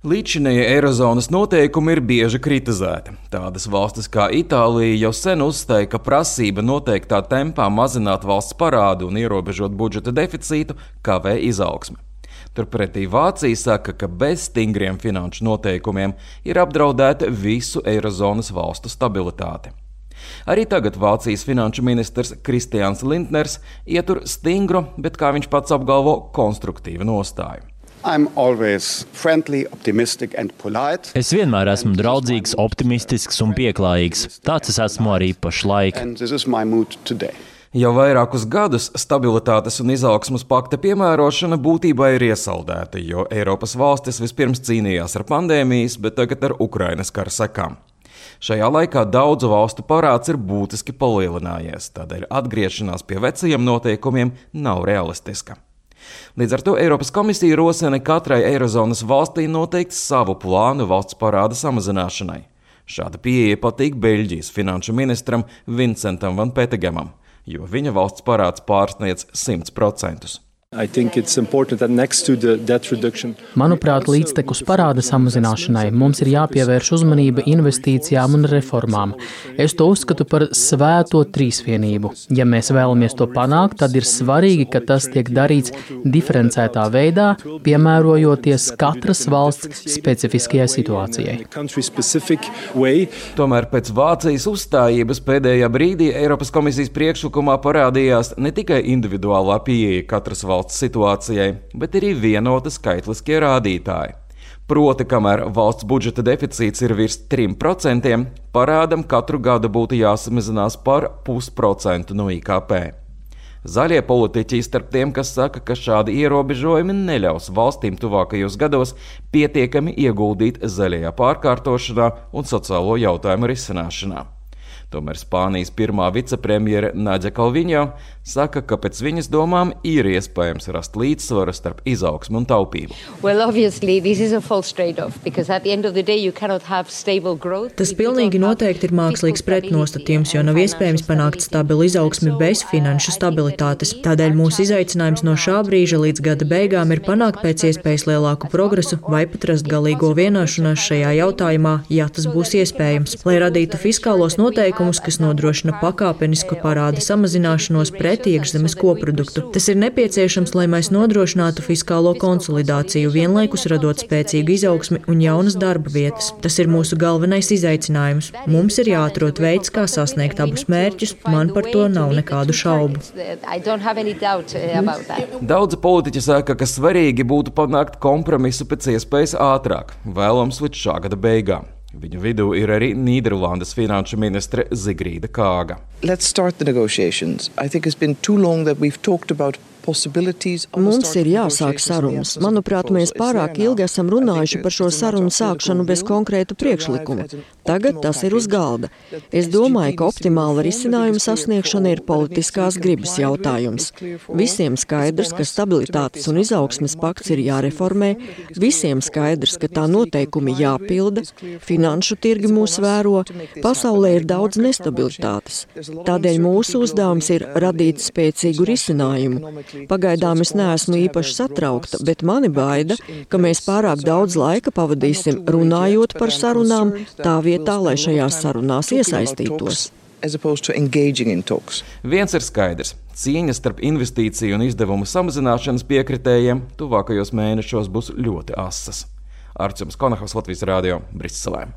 Līdzinējie eirozonas noteikumi ir bieži kritizēti. Tādas valstis kā Itālija jau sen uzstāja, ka prasība noteiktā tempā mazināt valsts parādu un ierobežot budžeta deficītu kavē izaugsmi. Turpretī Vācija saka, ka bez stingriem finanšu noteikumiem ir apdraudēta visu eirozonas valstu stabilitāte. Arī tagad Vācijas finanšu ministrs Kristians Lindners ietur stingru, bet, kā viņš pats apgalvo, konstruktīvu nostāju. Es vienmēr esmu draudzīgs, optimistisks un pieklājīgs. Tāds es esmu arī pašlaik. Jau vairākus gadus stabilitātes un izaugsmes pakta piemērošana būtībā ir iesaldēta, jo Eiropas valstis vispirms cīnījās ar pandēmijas, bet tagad ar Ukrainas kara sekām. Šajā laikā daudzu valstu parāds ir būtiski palielinājies, tādēļ atgriešanās pie vecajiem noteikumiem nav realistiska. Līdz ar to Eiropas komisija rosina katrai eirozonas valstī noteikt savu plānu valsts parāda samazināšanai. Šāda pieeja patīk Beļģijas finanšu ministram Vincentam Van Petegemam, jo viņa valsts parāds pārsniedz 100%. Manuprāt, līdztekus parāda samazināšanai mums ir jāpievērš uzmanība investīcijām un reformām. Es to uzskatu par svēto trīsvienību. Ja mēs vēlamies to panākt, tad ir svarīgi, ka tas tiek darīts diferencētā veidā, piemērojoties katras valsts specifiskajai situācijai. Tomēr pēc Vācijas uzstājības pēdējā brīdī Eiropas komisijas priekšlikumā parādījās ne tikai individuālā pieeja katras valsts situācijai, bet arī vienota skaitliskie rādītāji. Proti, kamēr valsts budžeta deficīts ir virs 3%, parādam katru gadu būtu jāsamazinās par 0,5% no IKP. Zaļie politiķi starp tiem, kas saka, ka šādi ierobežojumi neļaus valstīm tuvākajos gados pietiekami ieguldīt zaļajā pārkārtošanā un sociālo jautājumu risināšanā. Tomēr Spānijas pirmā vicepremjere Nadia Calviņo saka, ka pēc viņas domām ir iespējams rast līdzsvaru starp izaugsmu un taupību. Tas pilnīgi noteikti ir mākslīgs pretnostatījums, jo nav iespējams panākt stabilu izaugsmi bez finanšu stabilitātes. Tādēļ mūsu izaicinājums no šā brīža līdz gada beigām ir panākt pēc iespējas lielāku progresu vai pat rast galīgo vienošanās šajā jautājumā, ja tas būs iespējams, lai radītu fiskālos noteikumus, kas nodrošina pakāpenisku parāda samazināšanos pret iekšzemes koproduktu. Tas ir nepieciešams, lai mēs nodrošinātu fiskālo konsolidāciju, vienlaikus radot spēcīgu izaugsmi un jaunas darba vietas. Tas ir mūsu galvenais izaicinājums. Mums ir jāatrod veids, kā sasniegt abus mērķus, man par to nav nekādu šaubu. Daudzi politiķi saka, ka svarīgi būtu panākt kompromisu pēc iespējas ātrāk, vēlams līdz šā gada beigām. Viņu vidū ir arī Nīderlandes finanšu ministre Zigrīda Kāga. Mums ir jāsāk sarunas. Manuprāt, mēs pārāk ilgi esam runājuši par šo sarunu sākšanu bez konkrēta priekšlikuma. Tagad tas ir uz galda. Es domāju, ka optimāla risinājuma sasniegšana ir politiskās gribas jautājums. Visiem skaidrs, ka stabilitātes un izaugsmes pakts ir jāreformē, visiem skaidrs, ka tā noteikumi jāpilda, finanšu tirgi mūs vēro, pasaulē ir daudz nestabilitātes. Tādēļ mūsu uzdevums ir radīt spēcīgu risinājumu. Pagaidām es neesmu īpaši satraukta, bet mani baida, ka mēs pārāk daudz laika pavadīsim runājot par sarunām, tā vietā, lai šajās sarunās iesaistītos. Viens ir skaidrs. Cīņa starp investīciju un izdevumu samazināšanas piekritējiem tuvākajos mēnešos būs ļoti asas. Arčuns Konahavs, Latvijas radio, Briselē.